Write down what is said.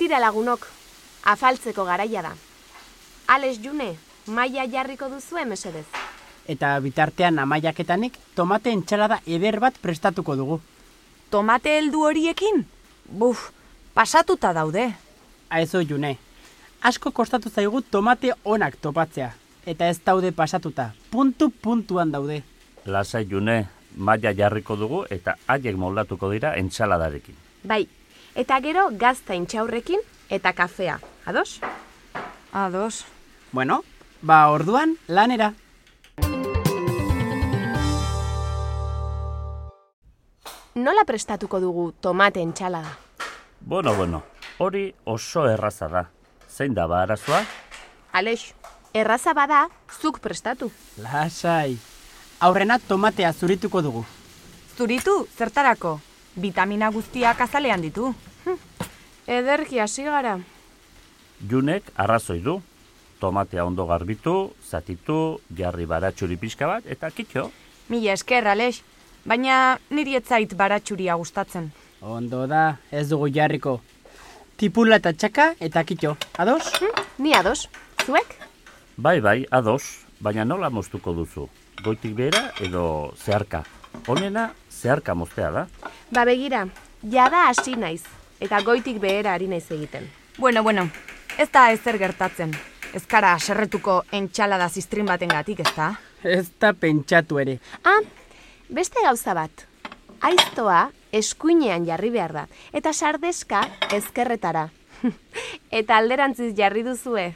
Tira lagunok, afaltzeko garaia da. Alex June, maila jarriko duzue mesedez. Eta bitartean amaiaketanik tomate entsalada eder bat prestatuko dugu. Tomate heldu horiekin? Buf, pasatuta daude. Aizu June, asko kostatu zaigu tomate onak topatzea. Eta ez daude pasatuta, puntuan daude. Lasai June, maila jarriko dugu eta haiek moldatuko dira entsaladarekin. Bai, eta gero gazta intxaurrekin eta kafea. Ados? Ados. Bueno, orduan lanera. Nola prestatuko dugu tomate entsalada? Bueno, hori oso erraza da. Zein da arazoa? Alex, erraza bada, zuk prestatu. Lasai. Aurrena tomatea zurituko dugu. Zuritu, zertarako? Vitamina guztiak azalean ditu. Ederki hasi gara. Junek arrazoi du. Tomatea ondo garbitu, zatitu, jarri baratxuri pixka bat, eta kitxo. Mila esker, Alex. Baina niri ez zait baratxuria gustatzen. Ondo da, ez dugu jarriko. Tipula eta txaka eta kitxo. Ados? Ni ados. Zuek? Bai, ados. Baina nola moztuko duzu? Goitik behera edo zeharka? Honena zeharka moztea da. Begira, jada hasi naiz. Eta goitik behera ari naiz egiten. Bueno, ez da ezer gertatzen. Ez kara serretuko entxalada ziztrin batengatik, ez da? Ez da pentsatu ere. Beste gauza bat. Aiztoa eskuinean jarri behar da. Eta sardeska ezkerretara. Eta alderantziz jarri duzue.